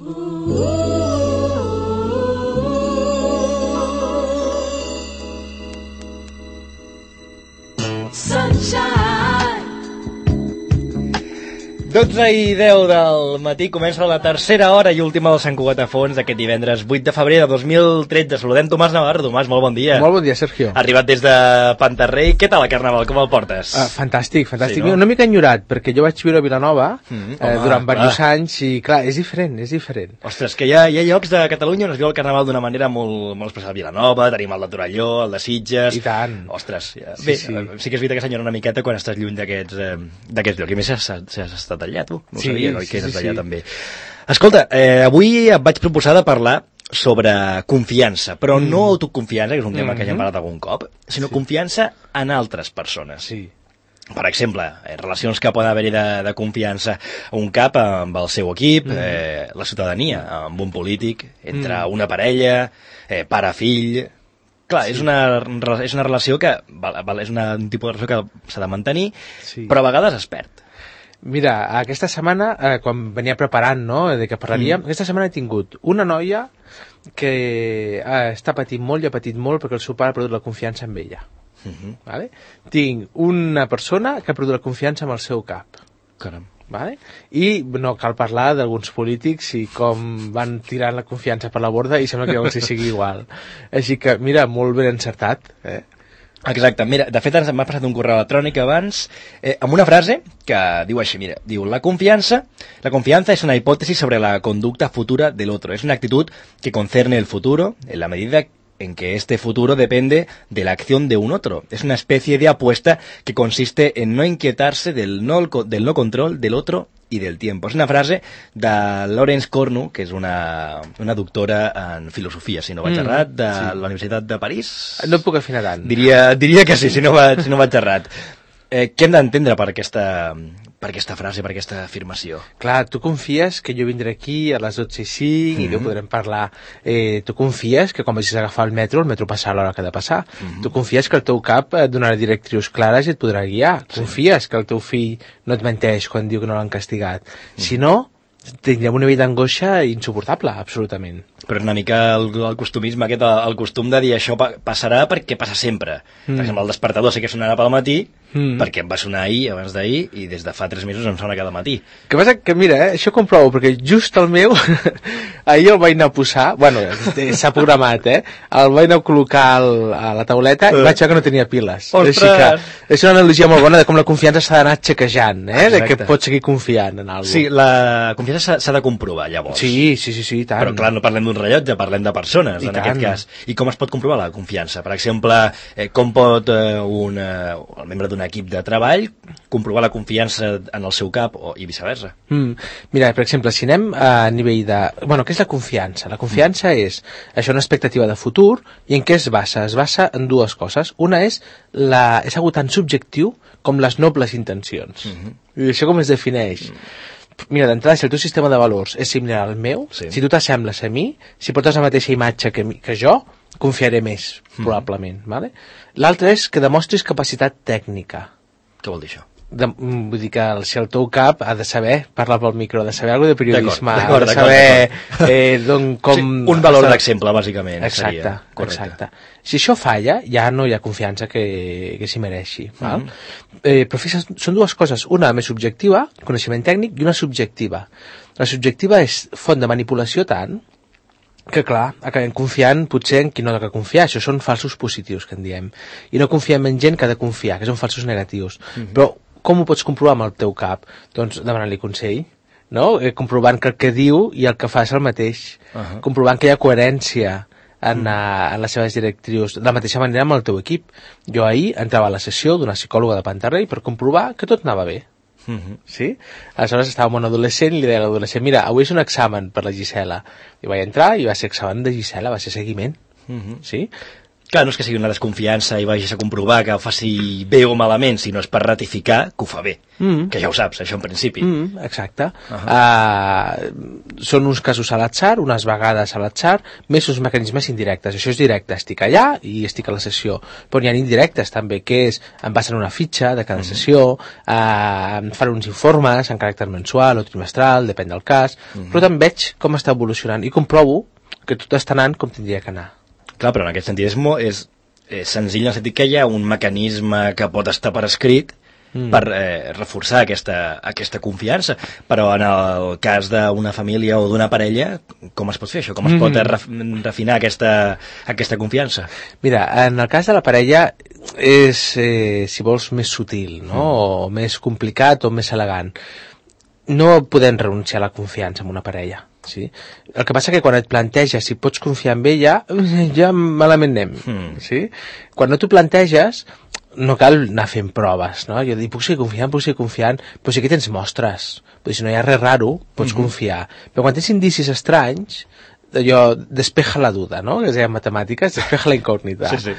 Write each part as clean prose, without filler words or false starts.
Sunshine. 12:10 del matí comença la tercera hora i última del Sant Cugat a Fons d'aquest divendres 8 de febrer de 2013. Saludem Tomàs Navarro. Tomàs, molt bon dia. Molt bon dia, Sergio. Arribat des de Pantarrei. Què tal el Carnaval? Com el portes? Fantàstic, fantàstic. Sí, no? Una mica enyorat, perquè jo vaig viure a Vilanova durant diversos anys i, clar, és diferent, és diferent. Ostres, que hi ha llocs de Catalunya on es viu el Carnaval d'una manera molt especial. Vilanova, tenim el de Torelló, el de Sitges... I tant. Ostres, ja. Sí, Bé, sí. Sí que és veritat que s'enyora una miqueta quan estàs lluny d'aquests llocs. I més has estat allà, tu? No ho Sí, sabia, oi? sí, Que eres sí, d'allà sí. també. Escolta, avui et vaig proposar de parlar sobre confiança, però no autoconfiança, que és un tema que ja hem parlat algun cop, sinó confiança en altres persones. Sí. Per exemple, relacions que poden haver-hi de confiança a un cap amb el seu equip, la ciutadania, amb un polític, entre una parella, pare-fill... Clar, Sí. és una relació que és un tipus de relació que s'ha de mantenir, Sí. però a vegades es perd. Mira, aquesta setmana, quan venia preparant, no?, de què parlaríem, aquesta setmana he tingut una noia que està patint molt i ha patit molt perquè el seu pare ha perdut la confiança en ella. Vale? Tinc una persona que ha perdut la confiança amb el seu cap. Caram. Vale? I no cal parlar d'alguns polítics i com van tirant la confiança per la borda i sembla que llavors hi sigui igual. Així que, mira, molt ben encertat. Exacte, mira, de fet m'ha passat un correu electrònic abans amb una frase que diu així, mira, diu: la confianza es una hipótesis sobre la conducta futura del otro, es una actitud que concerne el futuro en la medida en que este futuro depende de la acción de un otro. Es una especie de apuesta que consiste en no inquietarse del no control del otro y del tiempo. És una frase de Lawrence Cornu, que és una doctora en filosofia, si no vaig errat, de la Universitat de París. No et puc afinar tant. Diria que sí, si no vaig errat. Què hem d'entendre per aquesta frase, per aquesta afirmació? Clar, tu confies que jo vindré aquí a les 12:05 i ho podrem parlar. Tu confies que quan vagis a agafar el metro passarà l'hora que ha de passar. Tu confies que el teu cap et donarà directrius clares i et podrà guiar. Confies que el teu fill no et menteix quan diu que no l'han castigat. Si no, tindrem una vida d'angoixa insuportable, absolutament. Però és una mica el costumisme aquest, el costum de dir això passarà perquè passa sempre. Per exemple, el despertador sé que sonarà pel matí, perquè em va sonar ahir, abans d'ahir, i des de fa 3 mesos em sona cada matí. Que passa que, mira, això comprovo, perquè just el meu, ahir el vaig anar a posar, bueno, s'ha programat, el vaig anar a col·locar a la tauleta i vaig veure que no tenia piles. Ostres! Així que és una analogia molt bona de com la confiança s'ha d'anar xequejant, de que pots seguir confiant en alguna cosa. Sí, la confiança s'ha de comprovar, llavors. Sí, tant. Però clar, no parlem d'un rellotge, parlem de persones, en aquest cas. I com es pot comprovar la confiança? Per exemple, com pot el membre d'un equip de treball comprovar la confiança en el seu cap i viceversa? Mira, per exemple, si anem a nivell de... Bueno, què és la confiança? La confiança és això, una expectativa de futur, i en què es basa? Es basa en dues coses. Una és algo tan subjectiu com les nobles intencions. I això com es defineix? Mira, d'entrada, si el teu sistema de valors és similar al meu, si tu t'assembles a mi, si portes la mateixa imatge que jo, confiaré més, probablement. Vale? L'altre és que demostris capacitat tècnica. Què vol dir això? Vull dir que si el teu cap ha de saber parlar pel micro, ha de saber alguna de periodisme, d'acord, ha de saber com... Sí, un valor d'exemple, bàsicament. Exacte. Si això falla, ja no hi ha confiança que s'hi mereixi. Val? Però fixa't, són dues coses, una més subjectiva, coneixement tècnic, i una subjectiva. La subjectiva és font de manipulació tant que, clar, acabem confiant potser en qui no ha de confiar. Això són falsos positius, que en diem. I no confiem en gent que ha de confiar, que són falsos negatius. Però com ho pots comprovar amb el teu cap? Doncs demanant-li consell, no? Comprovant que el que diu i el que fa és el mateix. Comprovant que hi ha coherència en les seves directrius. De la mateixa manera amb el teu equip. Jo ahir entrava a la sessió d'una psicòloga de Pantarrei per comprovar que tot anava bé. Sí? Aleshores estava amb un adolescent i li deia a l'adolescent: mira, avui és un examen per la Gisela. I vaig entrar i va ser examen de Gisela, va ser seguiment. Sí? Clar, no és que sigui una desconfiança i vagis a comprovar que ho faci bé o malament, sinó és per ratificar que ho fa bé. Que ja ho saps, això en principi. Exacte. Són uns casos a l'atzar, unes vegades a l'atzar, més uns mecanismes indirectes. Això és directe, estic allà i estic a la sessió. Però n'hi ha indirectes també, que és, em passen una fitxa de cada sessió, em fan uns informes en caràcter mensual o trimestral, depèn del cas, però també veig com està evolucionant i comprovo que tot està anant com tindria que anar. Clar, però en aquest sentit és senzill en el sentit que hi ha un mecanisme que pot estar per escrit per reforçar aquesta confiança, però en el cas d'una família o d'una parella, com es pot fer això? Com es pot refinar aquesta confiança? Mira, en el cas de la parella és, si vols, més sutil, no? O més complicat o més elegant. No podem renunciar a la confiança en una parella. Sí? El que passa que quan et planteges si pots confiar en ella, ja malament anem. Sí? Quan no t'ho planteges, no cal anar fent proves, no? Jo dic, puc seguir confiant, però sí que tens mostres. Però si no hi ha res raro, pots confiar. Però quan tens indicis estranys, allò, despeja la duda, no? Que es deia en matemàtiques, despeja la incògnita. Sí.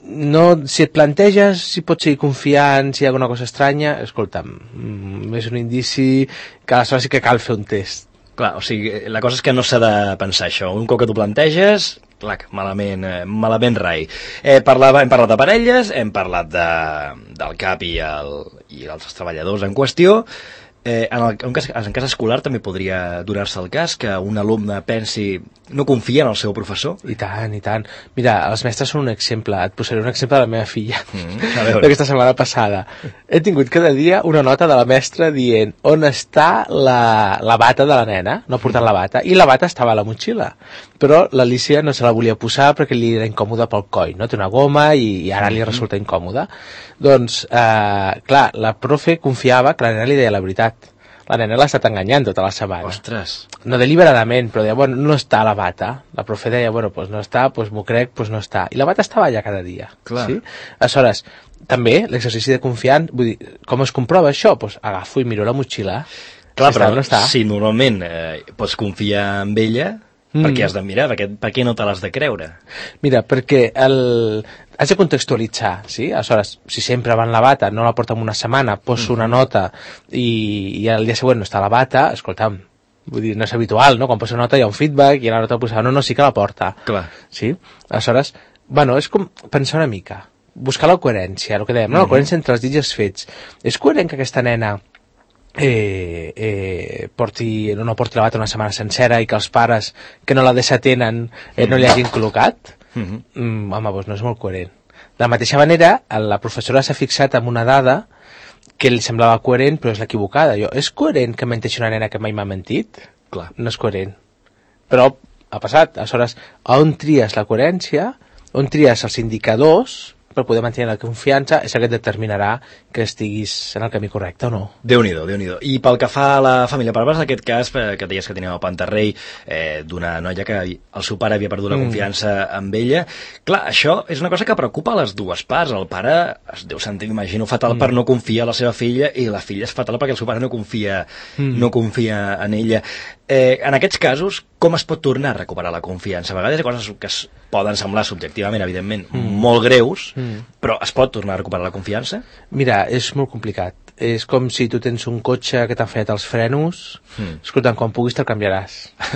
No, si et planteges si pots seguir confiant, si hi ha alguna cosa estranya, escolta'm, és un indici que aleshores sí que cal fer un test. Clar, o sigui, la cosa és que no s'ha de pensar això. Un cop que t'ho planteges, clar, malament rai. Hem parlat de parelles, hem parlat del CAP i els treballadors en qüestió. En cas escolar també podria donar-se el cas que un alumne pensi no confia en el seu professor. I tant, i tant. Mira, els mestres són un exemple. Et posaré un exemple de la meva filla d'aquesta setmana passada. He tingut cada dia una nota de la mestra dient on està la bata de la nena, no ha portat la bata, i la bata estava a la motxilla, però l'Alicia no se la volia posar perquè li era incòmoda pel coll, no? Té una goma i ara li resulta incòmoda. Doncs, clar, la profe confiava que la nena li deia la veritat. La nena l'ha estat enganyant tota la setmana. Ostres. No deliberadament, però deia, bueno, no està la bata. La profe deia, bueno, pues no està, pues m'ho crec, pues no està. I la bata estava allà cada dia. Clar. Sí? Aleshores, també l'exercici de confiant, vull dir, com es comprova això? Pues agafo i miro la motxilla. Clar, si però no està. si normalment pots confiar en ella, per què has de mirar? Per què no te l'has de creure? Mira, perquè has de contextualitzar, sí? Aleshores, si sempre va en la bata, no la porta en una setmana, poso una nota i el dia següent no està la bata, escolta'm, vull dir, no és habitual, no? Quan posa nota hi ha un feedback i la nota posada, no, sí que la porta. Clar. Sí? Aleshores, bueno, és com pensar una mica, buscar la coherència, el que dèiem, no? La coherència entre els dits i els fets. És coherent que aquesta nena no porti la bata una setmana sencera i que els pares que no la desatenen no li hagin col·locat? Home, doncs no és molt coherent. De la mateixa manera, la professora s'ha fixat en una dada que li semblava coherent però és l'equivocada. És coherent que menteixi una nena que mai m'ha mentit? Clar. No és coherent. Però ha passat. Aleshores, on tries la coherència, on tries els indicadors per poder mantenir la confiança, és el que et determinarà que estiguis en el camí correcte o no. Déu-n'hi-do, Déu-n'hi-do. I pel que fa a la família, parles d'aquest cas que deies que tenia el Pantarrei, d'una noia que el seu pare havia perdut la confiança amb ella. Clar, això és una cosa que preocupa a les dues parts. El pare es deu sentir, imagino, fatal per no confiar en la seva filla i la filla és fatal perquè el seu pare no confia en ella. En aquests casos, com es pot tornar a recuperar la confiança? A vegades hi ha coses que es poden semblar subjectivament, evidentment, molt greus, però es pot tornar a recuperar la confiança? Mira, és molt complicat. És com si tu tens un cotxe que t'han fallat els frenos, escolta'm, quan puguis te'l canviaràs.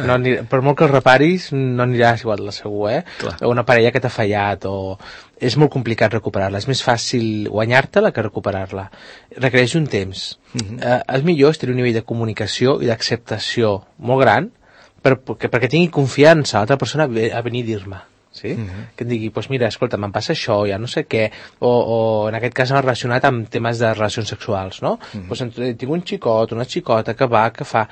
No per molt que el reparis, no aniràs igual de segur, o una parella que t'ha fallat, o... És molt complicat recuperar-la. És més fàcil guanyar-te-la que recuperar-la. Requereix un temps. El millor és tenir un nivell de comunicació i d'acceptació molt gran perquè tingui confiança a l'altra persona a venir a dir-me. Sí? Que em digui, pues mira, escolta, me'n passa això, ja no sé què, o en aquest cas relacionat amb temes de relacions sexuals, no? Pues tinc un xicot, una xicota que va, que fa...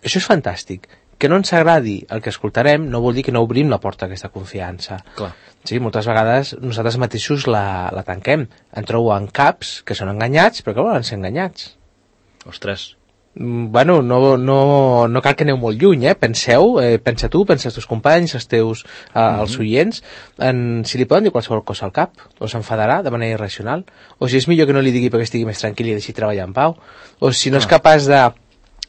Això és fantàstic. Que no ens agradi el que escoltarem no vol dir que no obrim la porta a aquesta confiança. Clar. Sí, moltes vegades nosaltres mateixos la tanquem. En trobo en caps que són enganyats, però que volen ser enganyats. Ostres. Bueno, no cal que aneu molt lluny, penseu, pensa tu, pensa els teus companys, els teus els oients, si li poden dir qualsevol cosa al cap, o s'enfadarà de manera irracional, o si és millor que no li digui perquè estigui més tranquil i deixi treballar en pau, o si no és capaç de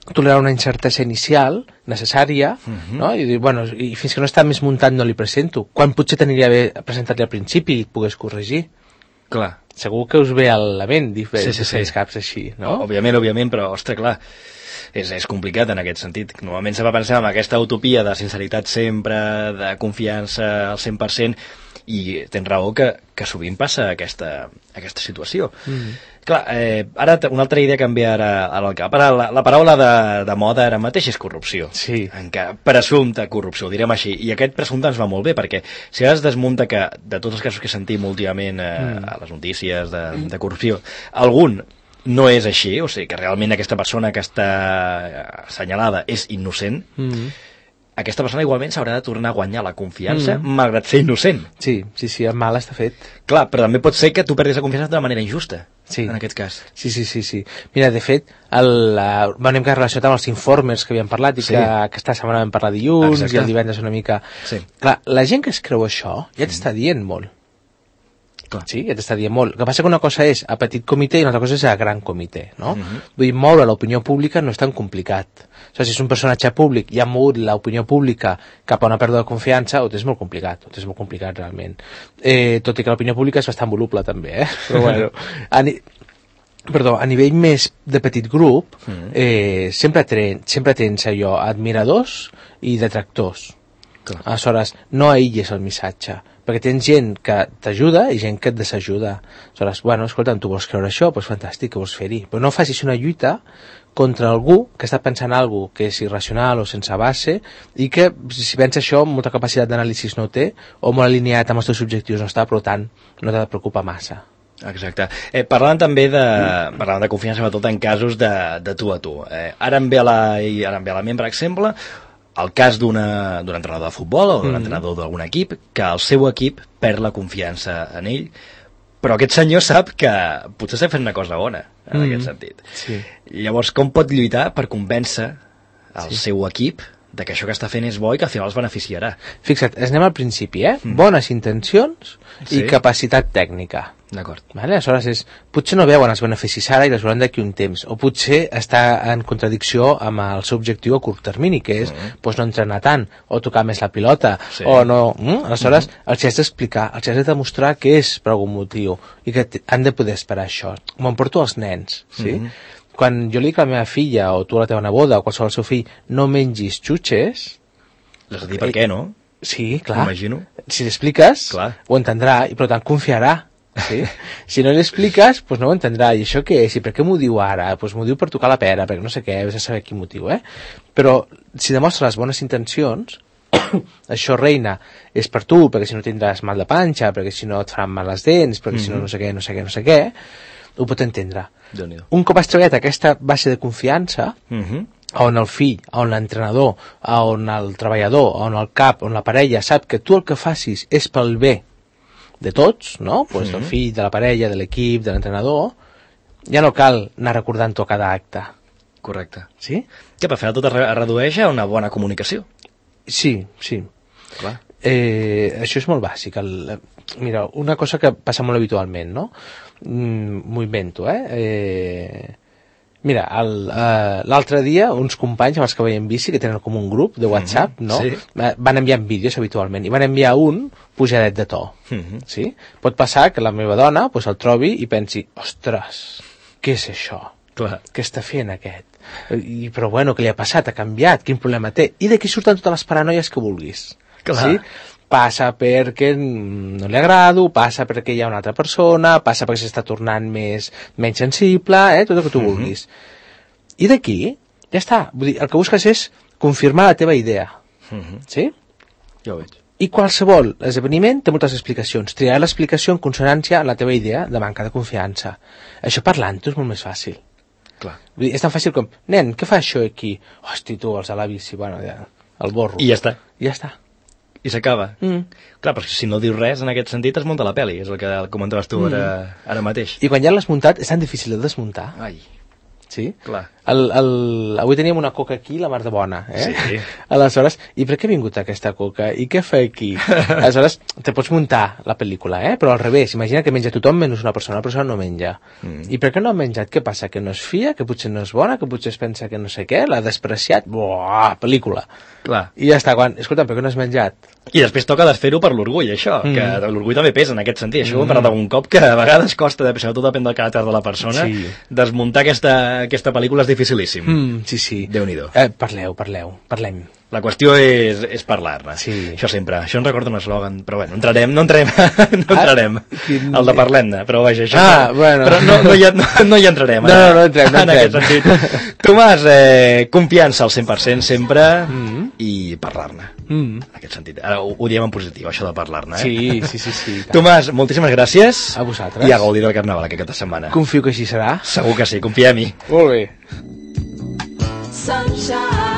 tolerar una incertesa inicial necessària, no? I dir, bueno, i fins que no està més muntat no li presento. Quan potser t'aniria bé presentar-li al principi i et pogués corregir. Clar. Segur que us ve a la ment diferents caps així, no? Òbviament, però, ostres, clar, és complicat en aquest sentit. Normalment se va pensar en aquesta utopia de sinceritat sempre, de confiança al 100%, i tens raó que sovint passa aquesta situació. Clar, ara una altra idea canvia ara al cap. Ara la paraula de moda ara mateix és corrupció. Sí. Presumpta corrupció, ho direm així. I aquest presumpte ens va molt bé, perquè si ara es desmunta que de tots els casos que sentim últimament a les notícies de corrupció, algun no és així, o sigui que realment aquesta persona que està assenyalada és innocent, aquesta persona igualment s'haurà de tornar a guanyar la confiança malgrat ser innocent. Sí, el mal està fet. Clar, però també pot ser que tu perdis la confiança d'una manera injusta, en aquest cas. Sí. Mira, de fet, hem relacionat amb els informes que havíem parlat i que aquesta setmana vam parlar dilluns. Exacte. I el divendres una mica... Sí. Clar, la gent que es creu això ja t'està dient molt. Clar. Sí, ja t'està dient molt. El que passa que una cosa és a petit comitè i una altra cosa és a gran comitè, no? Vull dir, moure l'opinió pública no és tan complicat. O sigui, si és un personatge públic i ha mogut l'opinió pública cap a una pèrdua de confiança, ho és molt complicat realment. Tot i que l'opinió pública és bastant voluble també, però bueno... a nivell més de petit grup, sempre tens allò, admiradors i detractors. Clar. Aleshores, no aïlles el missatge, perquè tens gent que t'ajuda i gent que et desajuda. Aleshores, bueno, escolta'm, tu vols creure això? Doncs fantàstic, que vols fer-hi. Però no facis una lluita contra algú que està pensant alguna cosa que és irracional o sense base i que, si pensa això, molta capacitat d'anàlisi no té o molt alineat amb els teus objectius no està, per tant, no t'ha de preocupar massa. Exacte. Parlant també de confiança, sobretot en casos de tu a tu. Ara em ve a la ment, per exemple, el cas d'un entrenador de futbol o d'un entrenador d'algun equip, que el seu equip perd la confiança en ell, però aquest senyor sap que potser està fent una cosa bona en aquest sentit. Sí. Llavors, com pot lluitar per convèncer el seu equip de que això que està fent és bo i que al final els beneficiarà? Fixa't, anem al principi, bones intencions i capacitat tècnica. D'acord. Vale? Aleshores, potser no veuen els beneficis ara i les veuran d'aquí un temps, o potser està en contradicció amb el seu objectiu a curt termini, que és no entrenar tant, o tocar més la pilota, o no... Aleshores, els has d'explicar, els has de demostrar que és per algun motiu, i que han de poder esperar això. M'ho porto als nens, sí? Quan jo li dic a la meva filla, o tu a la teva neboda, o qualsevol del seu fill, no mengis xutxes... L'has de dir per què, no? Sí, clar. M'imagino. Si l'expliques, ho entendrà, i per tant confiarà. Sí? Si no l'expliques, doncs no ho entendrà. I això què és? I per què m'ho diu ara? Doncs m'ho diu per tocar la pera, perquè no sé què, has de saber quin motiu, Però si demostra les bones intencions, això, reina, és per tu, perquè si no tindràs mal de panxa, perquè si no et faran mal les dents, perquè si no no sé què, ho pot entendre. Un cop has treballat aquesta base de confiança, on el fill, on l'entrenador, on el treballador, on el cap, on la parella sap que tu el que facis és pel bé de tots, no? Pues del fill, de la parella, de l'equip, de l'entrenador, ja no cal anar recordant-ho a cada acte. Correcte. Sí? Que per final tot es redueix a una bona comunicació. Sí. Clar. Això és molt bàsic. Mira, una cosa que passa molt habitualment, no? M'ho invento, Mira, l'altre dia uns companys amb els que veiem bici, que tenen com un grup de WhatsApp, no? Sí. Van enviant vídeos habitualment, i van enviar un pujadet de to. Sí? Pot passar que la meva dona pues, el trobi i pensi, ostres, què és això? Clar. Què està fent aquest? Però bueno, què li ha passat? Ha canviat? Quin problema té? I d'aquí surten totes les paranoies que vulguis. Clar. Sí? Passa perquè no li agrado, passa perquè hi ha una altra persona, passa perquè s'està tornant menys sensible, tot el que tu vulguis. I d'aquí, ja està. Vull dir, el que busques és confirmar la teva idea. Sí? Ja ho veig. I qualsevol esdeveniment té moltes explicacions. Triar l'explicació en consonància amb la teva idea de manca de confiança. Això parlant-ho és molt més fàcil. Clar. Vull dir, és tan fàcil com, nen, què fa això aquí? Hosti, tu, els de la bici, bueno, ja, el borro. I ja està. I ja està. I s'acaba. Clar, però si no dius res, en aquest sentit es munta la pel·li, és el que comentaves tu ara mateix. I quan ja l'has muntat, és tan difícil de desmuntar. Ai. Sí? Clar. Avui teníem una coca aquí, la mar de bona, Sí. Aleshores, i per què ha vingut aquesta coca? I què fa aquí? Aleshores, te pots muntar la pel·lícula, però al revés, imagina que menja tothom menys una persona no menja. I per què no ha menjat? Què passa? Que no es fia? Que potser no és bona? Que potser es pensa que no sé què? L'ha despreciat? Buah, pel·lícula. Clar. I ja està, escolta, per què no has menjat? I després toca desfer-ho per l'orgull, això, que l'orgull també pesa en aquest sentit. Això ho hem parlat algun cop, que a vegades costa, sobretot depèn del caràcter de la persona, desmuntar aquesta pel·lícula és dificilíssim. Sí. Déu-n'hi-do. Parlem. La qüestió és parlar-ne. Sí. Això sempre. Això em recorda un eslògan, però bueno, no entrarem al de parlem-ne, però vaja, això... Bueno. Però no hi entrarem. No entrem. En aquest sentit. Tomàs, confiança al 100% sempre i parlar-ne. En aquest sentit. Ara ho diem en positiu, això de parlar-ne. Sí. Tomàs, moltíssimes gràcies. A vosaltres. I a gaudir del Carnaval aquesta setmana. Confio que així serà. Segur que sí, confia en mi. Molt bé. Sunshine.